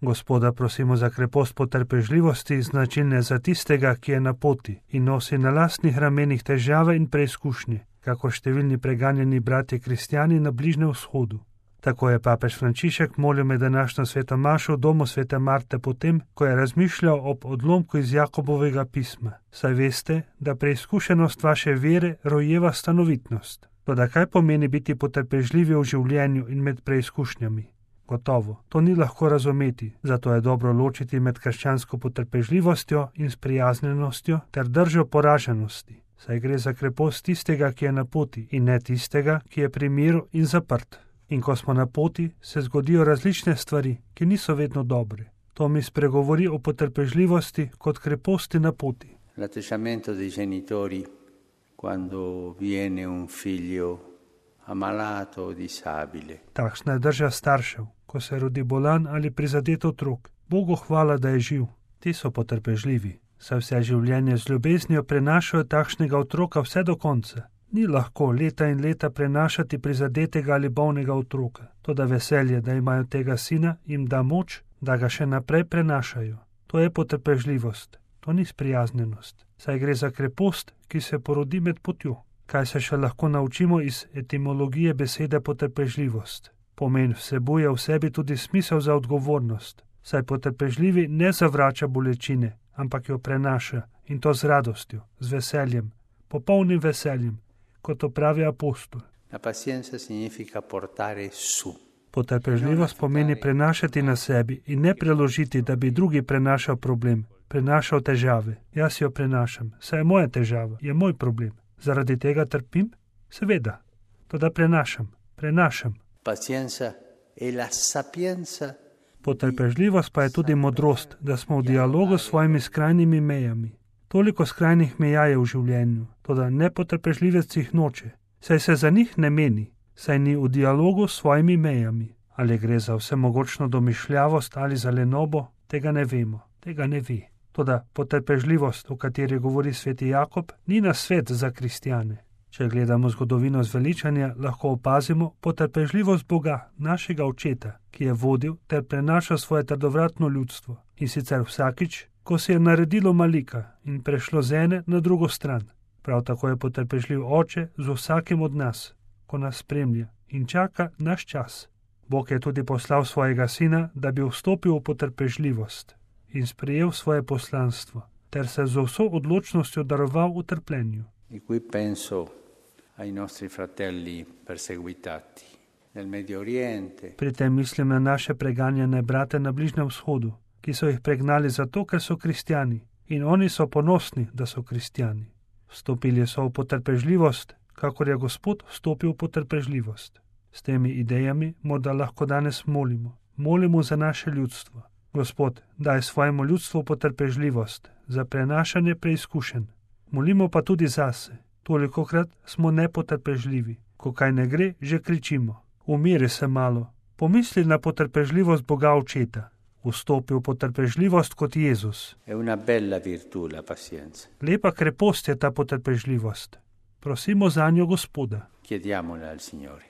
Gospoda prosimo za krepost potrpežljivosti, značilne za tistega, ki je na poti in nosi na lastnih ramenih težave in preizkušnje, kakor številni preganjeni bratje kristjani na Bližnjem vzhodu. Tako je papež Frančišek molil med današnjo sveto mašo v domu svete Marte potem, ko je razmišljal ob odlomku iz Jakobovega pisma. Saj veste, da preizkušenost vaše vere rojeva stanovitnost. Toda kaj pomeni biti potrpežljivi v življenju in med preizkušnjami? Gotovo, to ni lahko razumeti, zato je dobro ločiti med krščansko potrpežljivostjo in sprijaznjenostjo ter držo poraženosti. Saj gre za krepost tistega, ki je na poti, in ne tistega, ki je pri miru in zaprt. In ko smo na poti, se zgodijo različne stvari, ki niso vedno dobre. To mi spregovori o potrpežljivosti kot kreposti na poti. L'atteggiamento dei genitori quando viene un figlio ammalato o disabile. Takšna je drža staršev, ko se rodi bolan ali prizadet otrok. Bogu hvala, da je živ. Ti so potrpežljivi, saj vse življenje z ljubeznijo prenašajo takšnega otroka vse do konca. Ni lahko leta in leta prenašati prizadetega ali bolnega otroka. Toda veselje, da imajo tega sina, jim da moč, da ga še naprej prenašajo. To je potrpežljivost, to ni sprijaznjenost. Saj gre za krepost, ki se porodi med potjo. Kaj se še lahko naučimo iz etimologije besede potrpežljivost? Pomen vsebuje v sebi tudi smisel za odgovornost. Saj potrpežljivi ne zavrača bolečine, ampak jo prenaša, in to z radostjo, z veseljem, popolnim veseljem, kot to pravi apostol. La pazienza significa portare su. Potrpežljivost pomeni prenašati na sebi in ne preložiti, da bi drugi prenašal problem, prenašal težave. Jaz jo prenašam, saj je moja težava, je moj problem. Zaradi tega trpim? Seveda. Toda prenašam. Pazienza è la sapienza. Potrpežljivost pa je tudi modrost, da smo v dialogu s svojimi skrajnimi mejami. Toliko skrajnih meja je v življenju, toda nepotrpežljivec jih noče, saj se za njih ne meni, saj ni v dialogu s svojimi mejami. Ali gre za vsemogočno domišljavost ali za lenobo, tega ne vemo, tega ne ve. Toda potrpežljivost, o kateri govori sveti Jakob, ni nasvet za kristjane. Če gledamo zgodovino zveličanja, lahko opazimo potrpežljivost Boga, našega očeta, ki je vodil ter prenašal svoje trdovratno ljudstvo, in sicer vsakič, ko se je naredilo malika in prešlo z ene na drugo stran. Prav tako je potrpežljiv oče z vsakim od nas, ko nas spremlja in čaka naš čas. Bog je tudi poslal svojega sina, da bi vstopil v potrpežljivost in sprejel svoje poslanstvo, ter se z vso odločnostjo daroval v trpljenju. Di cui penso ai nostri fratelli perseguitati nel Medio Oriente. Pri tem mislim na naše preganjane brate na Bližnjem vzhodu, ki so jih pregnali zato, ker so kristjani, in oni so ponosni, da so kristjani. Vstopili so v potrpežljivost, kakor je Gospod vstopil v potrpežljivost. S temi idejami morda lahko danes molimo za naše ljudstvo. Gospod, daj svojemu ljudstvu potrpežljivost za prenašanje preizkušenj. Molimo pa tudi zase. Tolikokrat smo nepotrpežljivi. Ko kaj ne gre, že kričimo. Umiri se malo. Pomisli na potrpežljivost Boga Očeta. Vstopi v potrpežljivost kot Jezus. È una bella virtù la pazienza. Lepa krepost je ta potrpežljivost. Prosimo zanjo Gospoda. Chiediamola al Signore.